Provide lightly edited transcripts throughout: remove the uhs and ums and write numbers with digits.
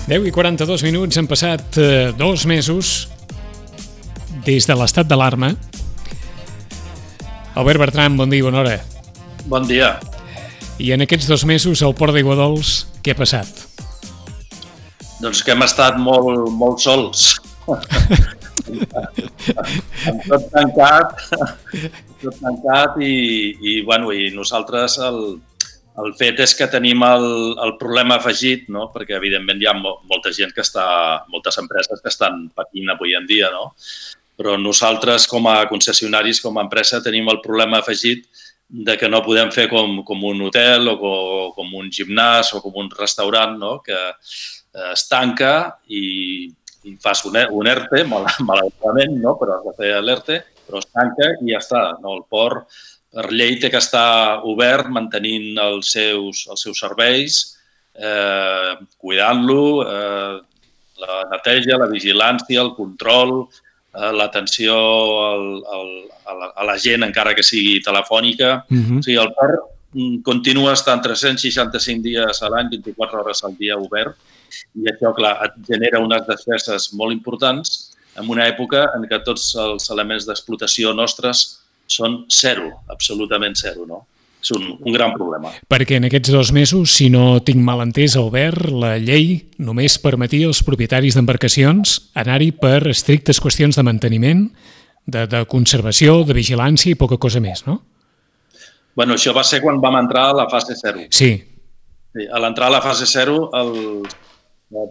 10:42, han passat 2 mesos des de l'estat d'alarma. Albert Bertran, bon dia i bona hora. Bon dia. I en aquests 2 mesos al Port d'Aiguadols, què ha passat? Doncs que hem estat molt sols. Amb tot tancat i nosaltres el fet és que tenim el problema afegit, no? Perquè evidentment hi ha molta gent moltes empreses que estan patint avui en dia, no? Però nosaltres com a concessionaris, com a empresa, tenim el problema afegit de que no podem fer com un hotel o com un gimnàs o com un restaurant, no? Que es tanca i fas un ERTE, malauradament, no? Però has de fer l'ERTE, però es tanca i ja està. El port, per llei, té que estar obert, mantenint els seus serveis, cuidant-lo, la neteja, la vigilància, el control, l'atenció a la gent, encara que sigui telefònica. O sigui, el port continua estant 365 dies a l'any, 24 hores al dia obert, i això, clar, et genera unes despeses molt importants en una època en què tots els elements d'explotació nostres són zero, absolutament zero, no? És un gran problema. Perquè en aquests 2 mesos, si no tinc mal entès, Albert, la llei només permetia als propietaris d'embarcacions anar-hi per estrictes qüestions de manteniment, de conservació, de vigilància i poca cosa més, no? Bueno, això va ser quan vam entrar a la fase 0. Sí. A l'entrar a la fase 0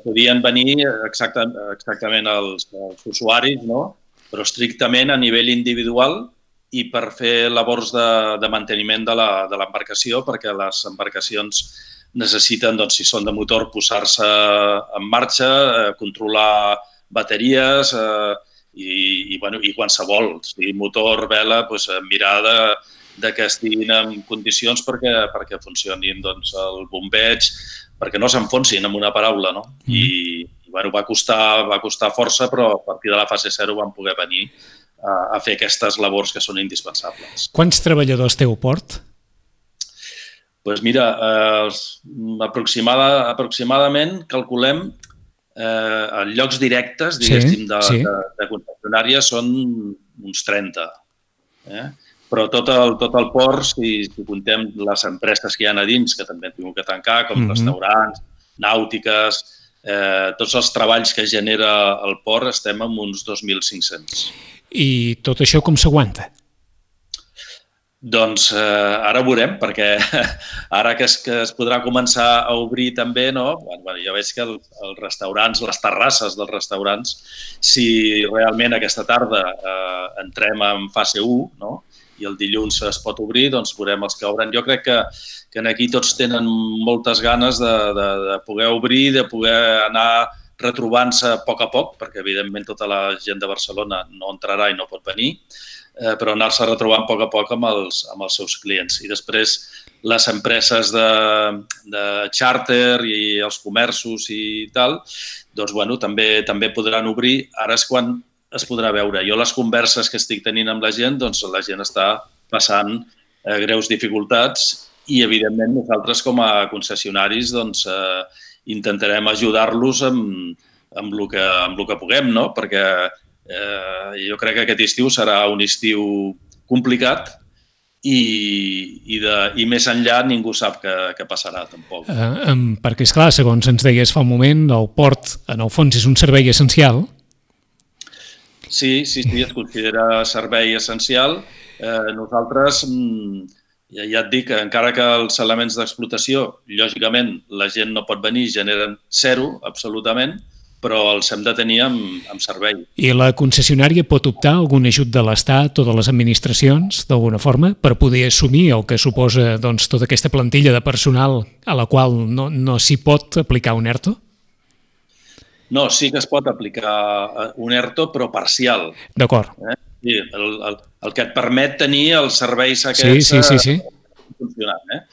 podien venir exactament els usuaris, no? Però estrictament a nivell individual i per fer labors de manteniment de l'embarcació, perquè les embarcacions necessiten, doncs, si són de motor, posar-se en marxa, controlar bateries i qualsevol, sigui motor, vela, mirar de que estiguin en condicions perquè funcionin el bombeig, perquè no s'enfonsin, amb una paraula, no? I va costar força, però a partir de la fase 0 vam poder venir a fer aquestes labors que són indispensables. Quants treballadors té el port? Doncs mira, aproximadament calculem en llocs directes, diguéssim, de concessionàries són uns 30. Però tot el port, si comptem les empreses que hi ha a dins, que també han tingut que tancar, com restaurants, nàutiques, tots els treballs que genera el port, estem en uns 2.500. I tot això com s'aguanta? Doncs ara ho veurem, perquè ara que es podrà començar a obrir també, no? Ja veig que els restaurants, les terrasses dels restaurants, si realment aquesta tarda entrem en fase 1, no? I el dilluns es pot obrir, doncs veurem els que obren. Jo crec que aquí tots tenen moltes ganes de poder obrir, de poder anar retrobant-se a poc, perquè evidentment tota la gent de Barcelona no entrarà i no pot venir, però anar-se retrobant a poc amb els seus clients. I després les empreses de xàrter i els comerços i tal, doncs també podran obrir. Ara és quan es podrà veure. Jo les converses que estic tenint amb la gent, doncs la gent està passant greus dificultats i, evidentment, nosaltres com a concessionaris doncs intentarem ajudar-los amb el que puguem, no? Perquè jo crec que aquest estiu serà un estiu complicat i més enllà ningú sap què passarà, tampoc. Perquè, esclar, segons ens deies fa un moment, el port, en el fons, és un servei essencial. Sí, es considera servei essencial. Nosaltres, ja et dic, encara que els elements d'explotació, lògicament, la gent no pot venir, generen 0, absolutament, però els hem de tenir amb servei. I la concessionària pot optar a algun ajut de l'Estat o de les administracions, d'alguna forma, per poder assumir el que suposa tota aquesta plantilla de personal a la qual no s'hi pot aplicar un ERTO? No, sí que es pot aplicar un ERTO, però parcial. D'acord. Sí, el que et permet tenir els serveis aquests funcionant.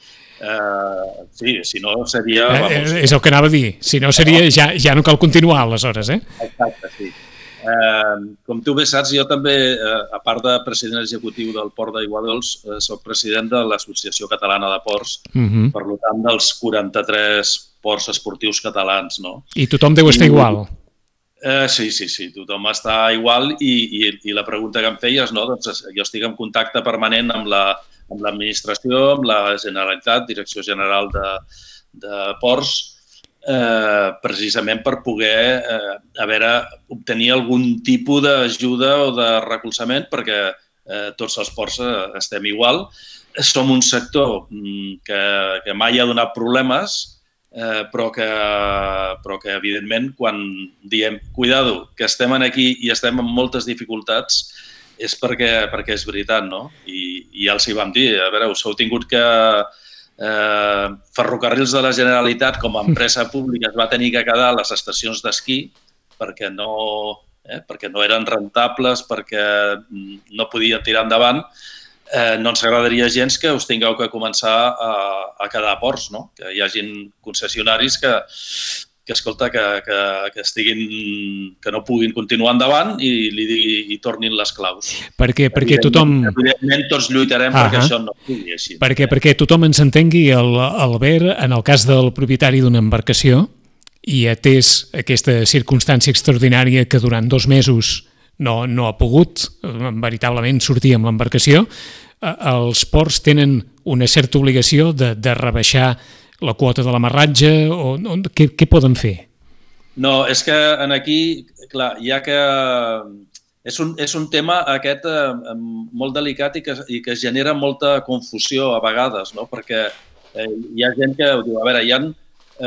Sí, si no seria... És el que anava a dir. Si no seria, ja no cal continuar, aleshores, Exacte, sí. Com tu bé saps, jo també, a part de president executiu del Port d'Aiguadols, soc president de l'Associació Catalana de Ports. Per tant, dels 43 ports esportius catalans, no? I tothom deu estar igual. Sí, tothom està igual i la pregunta que em feies, no? Doncs jo estic en contacte permanent amb l'administració, amb la Generalitat, Direcció General de Ports, precisament per poder obtenir algun tipus d'ajuda o de recolzament perquè tots els ports estem igual. Som un sector que mai ha donat problemes, però que evidentment, quan diem cuidado, que estem aquí i estem amb moltes dificultats, és perquè és veritat, no? I ja els hi vam dir, a veure, us heu tingut que... Ferrocarrils de la Generalitat, com a empresa pública, es va tenir que quedar a les estacions d'esquí perquè no eren rentables, perquè no podien tirar endavant. No ens agradaria gens que us tingueu que començar a quedar a ports, no? Que hi hagin concessionaris que no puguin continuar endavant i tornin les claus. Perquè tothom... Evidentment, tots lluitarem perquè això no sigui així. Perquè tothom ens entengui, Albert, en el cas del propietari d'una embarcació, i atès aquesta circumstància extraordinària que durant 2 mesos no ha pogut veritablement sortir amb l'embarcació, els ports tenen una certa obligació de rebaixar la quota de l'amarratge o què poden fer? No, és que aquí, clar, ja que és un tema aquest molt delicat i que genera molta confusió a vegades, no? Perquè hi ha gent que diu, a veure, hi ha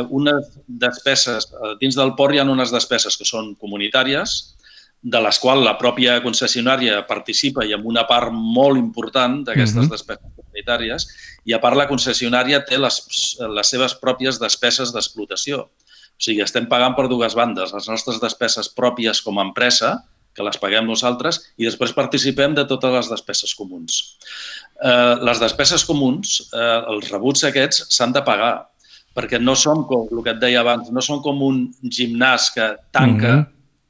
unes despeses, dins del port hi ha unes despeses que són comunitàries, de les quals la pròpia concessionària participa i amb una part molt important d'aquestes despeses comunitàries, i a part la concessionària té les seves pròpies despeses d'explotació. O sigui, estem pagant per 2 bandes, les nostres despeses pròpies com a empresa, que les paguem nosaltres, i després participem de totes les despeses comuns. Les despeses comuns, els rebuts aquests, s'han de pagar, perquè no som, com el que et deia abans, no són com un gimnàs que tanca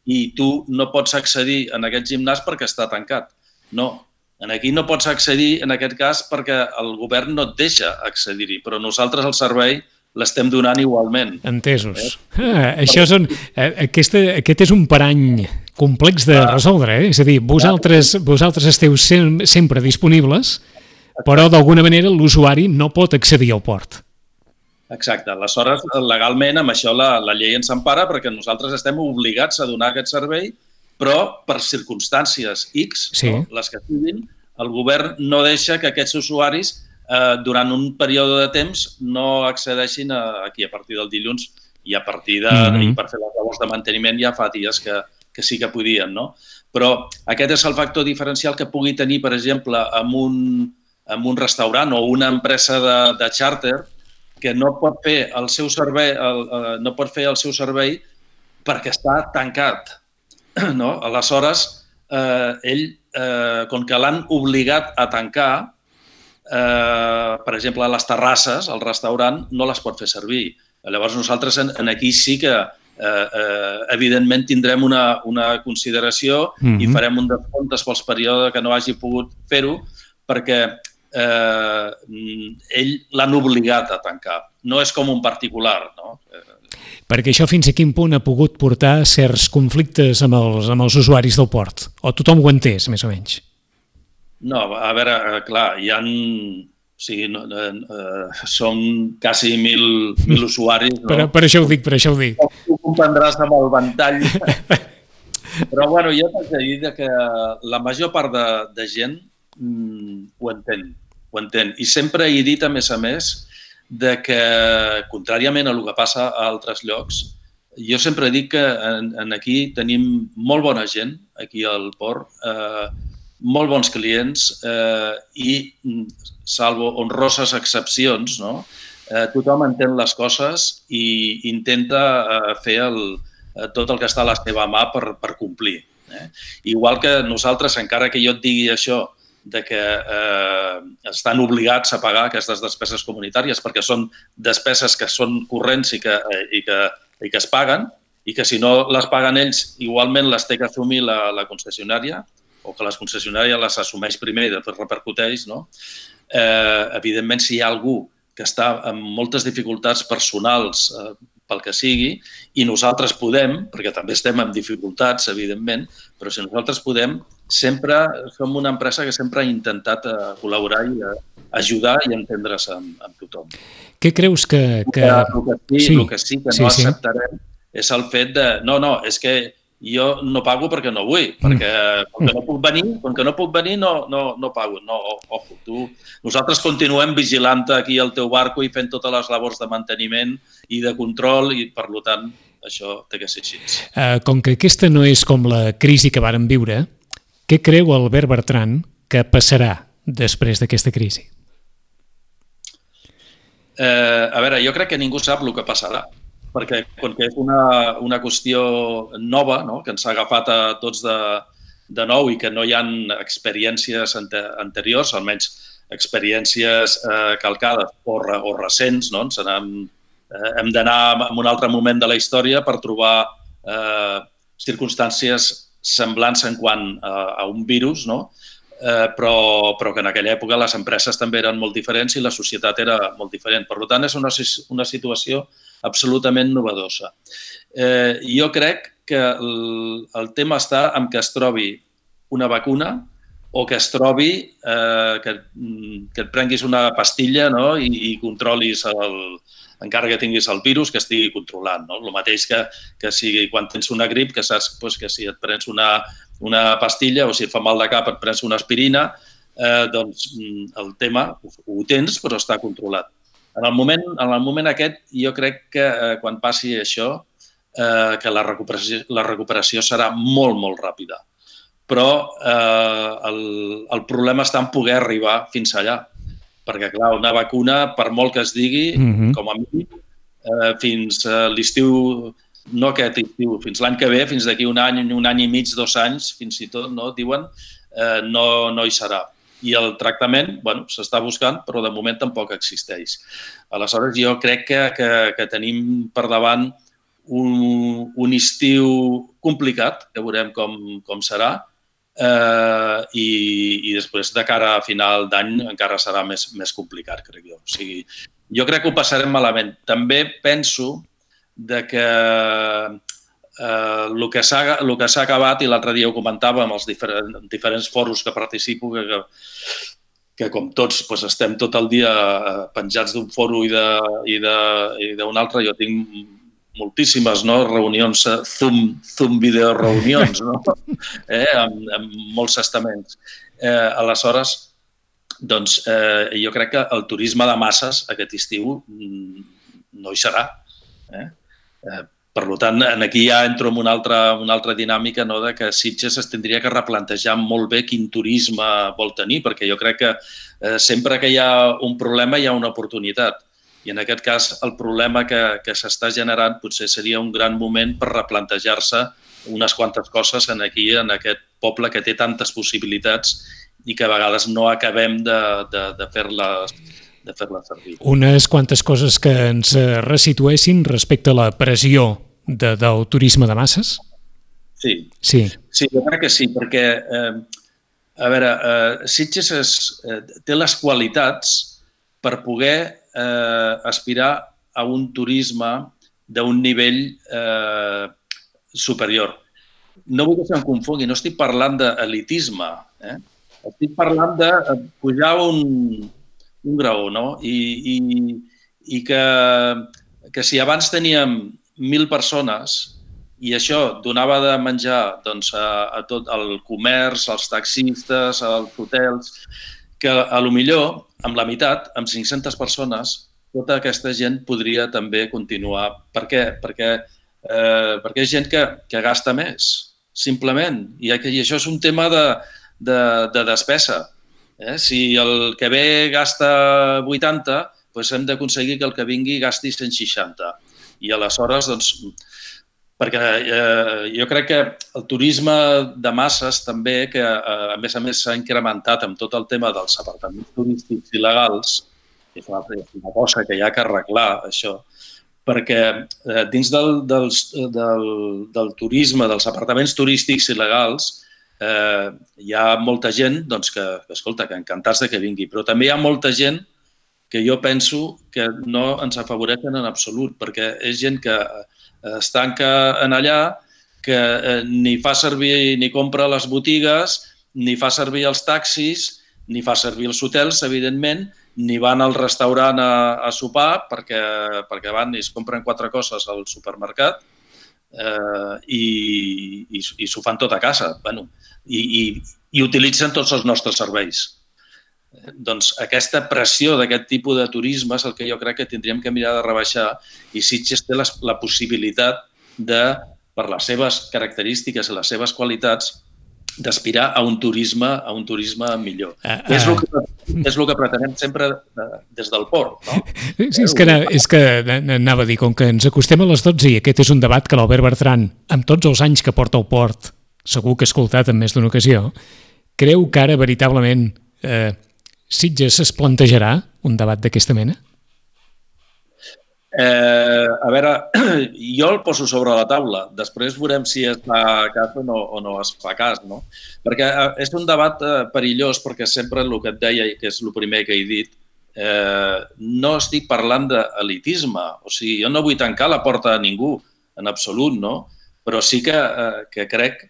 i tu no pots accedir en aquest gimnàs perquè està tancat. No, aquí no pots accedir en aquest cas perquè el govern no et deixa accedir-hi, però nosaltres el servei l'estem donant igualment. Entesos. Aquest és un parany complex de resoldre, eh? És a dir, vosaltres esteu sempre disponibles, però d'alguna manera l'usuari no pot accedir al port. Exacte. Aleshores, legalment, amb això la llei ens empara perquè nosaltres estem obligats a donar aquest servei, però per circumstàncies X, les que siguin, el govern no deixa que aquests usuaris durant un període de temps no accedeixin aquí a partir del dilluns i a partir i per fer les labors de manteniment ja fa dies que sí que podien, no? Però aquest és el factor diferencial que pugui tenir, per exemple, amb un restaurant o una empresa de xàrter que no pot fer el seu servei perquè està tancat. Aleshores, ell, com que l'han obligat a tancar, per exemple, a les terrasses, al restaurant, no les pot fer servir. Llavors, nosaltres aquí sí que, evidentment, tindrem una consideració i farem un descompte pels períodes que no hagi pogut fer-ho perquè ell l'han obligat a tancar. No és com un particular, no? Perquè això fins a quin punt ha pogut portar certs conflictes amb els usuaris del port? O tothom ho ha entès, més o menys? No, a veure, clar, hi ha... Som quasi 1.000 usuaris. Per això ho dic. Ho comprendràs amb el ventall. Però, bueno, jo t'haig de dir que la major part de gent ho entén. I sempre he dit, a més, que, contràriament a el que passa a altres llocs, jo sempre dic que aquí tenim molt bona gent, aquí al port, molt bons clients i, salvo honroses excepcions, tothom entén les coses i intenta fer tot el que està a la seva mà per complir. Igual que nosaltres, encara que jo et digui això, de que estan obligats a pagar aquestes despeses comunitàries perquè són despeses que són corrents i que es paguen i que si no les paguen ells igualment les té que assumir la concessionària o que la concessionària les assumeix primer i després repercuteix, no? Evidentment, si hi ha algú està amb moltes dificultats personals pel que sigui, i nosaltres podem, perquè també estem amb dificultats, evidentment, però si nosaltres podem, sempre som una empresa que sempre ha intentat col·laborar i ajudar i entendre's amb tothom. Què creus que... El que sí que no acceptarem és el fet de... No, és que jo no pago perquè no vull, perquè com que no puc venir, no pago. No, ojo, nosaltres continuem vigilant aquí el teu barco i fent totes les labors de manteniment i de control i, per tant, això té que ser així. Com que aquesta no és com la crisi que vàrem viure, què creu Albert Bertran que passarà després d'aquesta crisi? A veure, jo crec que ningú sap el que passarà, perquè com que és una qüestió nova, no?, que ens ha agafat a tots de nou i que no hi ha experiències anteriors, almenys experiències calcades o recents, no? Hem d'anar a un altre moment de la història per trobar circumstàncies semblants en quant a un virus, no? Però que en aquella època les empreses també eren molt diferents i la societat era molt diferent. Per tant, és una situació absolutament novedosa. Jo crec que el tema està en que es trobi una vacuna o que es trobi que et prenguis una pastilla, no?, i controlis, encara que tinguis el virus, que estigui controlant. El mateix que sigui quan tens una grip, que saps que si et prens una pastilla o si et fa mal de cap et prens una aspirina, doncs el tema ho tens però està controlat. En el moment aquest, jo crec que quan passi això, que la recuperació serà molt, molt ràpida. Però el problema està en poder arribar fins allà. Perquè, clar, una vacuna, per molt que es digui, com a mínim, fins l'estiu, no aquest estiu, fins l'any que ve, fins d'aquí un any i mig, 2 anys, fins i tot, no, diuen, no hi serà. I el tractament, s'està buscant, però de moment tampoc existeix. Aleshores, jo crec que tenim per davant un estiu complicat, que veurem com serà, i després de cara a final d'any encara serà més complicat, crec jo. O sigui, jo crec que ho passarem malament. També penso que el que s'ha acabat, i l'altre dia ho comentava amb els diferents foros que participo, que com tots estem tot el dia penjats d'un foro i d'un altre, jo tinc moltíssimes reunions, Zoom videoreunions, amb molts estaments. Aleshores, doncs, jo crec que el turisme de masses aquest estiu no hi serà. Per tant, aquí ja entro en una altra dinàmica de que Sitges es tindria que replantejar molt bé quin turisme vol tenir, perquè jo crec que sempre que hi ha un problema hi ha una oportunitat. I en aquest cas, el problema que s'està generant potser seria un gran moment per replantejar-se unes quantes coses aquí, en aquest poble que té tantes possibilitats i que a vegades no acabem de fer-les servir. Unes quantes coses que ens resituessin respecte a la pressió del turisme de masses? Sí, jo crec que sí, perquè, a veure, Sitges té les qualitats per poder aspirar a un turisme d'un nivell superior. No vull que se'm confongui, no estic parlant d'elitisme, estic parlant de pujar un graó, no? I que si abans teníem 1.000 persones i això donava de menjar a tot el comerç, als taxistes, als hotels, que potser amb la meitat, amb 500 persones, tota aquesta gent podria també continuar. Per què? Perquè és gent que gasta més, simplement. I això és un tema de despesa. Si el que ve gasta 80, doncs hem d'aconseguir que el que vingui gasti 160. I aleshores, doncs, perquè jo crec que el turisme de masses també, que a més s'ha incrementat amb tot el tema dels apartaments turístics il·legals, és una cosa que hi ha que arreglar, això, perquè dins del turisme, dels apartaments turístics il·legals, hi ha molta gent que, escolta, que encantats que vingui, però també hi ha molta gent que jo penso que no ens afavoreixen en absolut, perquè és gent que es tanca en allà, que ni fa servir ni compra les botigues, ni fa servir els taxis, ni fa servir els hotels, evidentment, ni van al restaurant a sopar perquè van i es compren 4 coses al supermercat i s'ho fan tot a casa. I utilitzen tots els nostres serveis. Doncs aquesta pressió d'aquest tipus de turisme és el que jo crec que tindríem que mirar de rebaixar i Sitges té la possibilitat de, per les seves característiques i les seves qualitats, d'aspirar a un turisme millor. És el que pretenem sempre des del port, no? Sí, és que anava a dir, com que ens acostem a les 12 i aquest és un debat que l'Albert Bertran, amb tots els anys que porta al port, segur que ha escoltat en més d'una ocasió, creu que ara veritablement Sitges es plantejarà un debat d'aquesta mena? A veure, jo el poso sobre la taula. Després veurem si es fa cas o no es fa cas, no? Perquè és un debat perillós, perquè sempre el que et deia, que és el primer que he dit, no estic parlant d'elitisme. O sigui, jo no vull tancar la porta a ningú, en absolut, no? Però sí que crec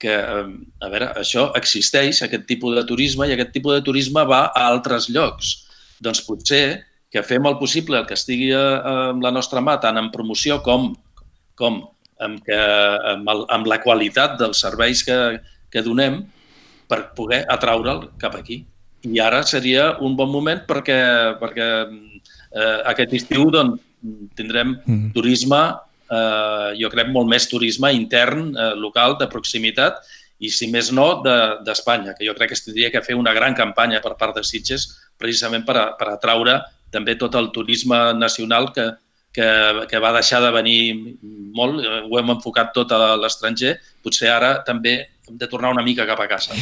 que, a veure, això existeix, aquest tipus de turisme, i aquest tipus de turisme va a altres llocs. Doncs potser que fem el possible, el que estigui amb la nostra mà, tant en promoció com amb la qualitat dels serveis que donem, per poder atraure'l cap aquí. I ara seria un bon moment perquè aquest estiu tindrem turisme, jo crec molt més turisme intern, local, de proximitat, i si més no, d'Espanya, que jo crec que es tindria que fer una gran campanya per part de Sitges precisament per atraure també tot el turisme nacional que va deixar de venir molt, ho hem enfocat tot a l'estranger, potser ara també hem de tornar una mica cap a casa.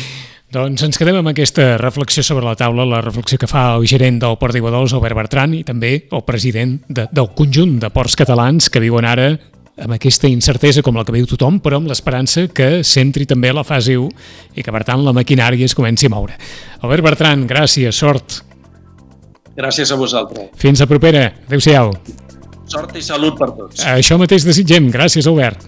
Doncs ens quedem amb aquesta reflexió sobre la taula, la reflexió que fa el gerent del Port d'Iguadols, Albert Bertran, i també el president del conjunt de ports catalans que viuen ara amb aquesta incertesa com la que viu tothom, però amb l'esperança que s'entri també a la fase 1 i que, per tant, la maquinària es comenci a moure. Albert Bertran, gràcies, sort. Gràcies a vosaltres. Fins a propera. Adéu-siau. Sort i salut per tots. Això mateix desitgem. Gràcies, Albert.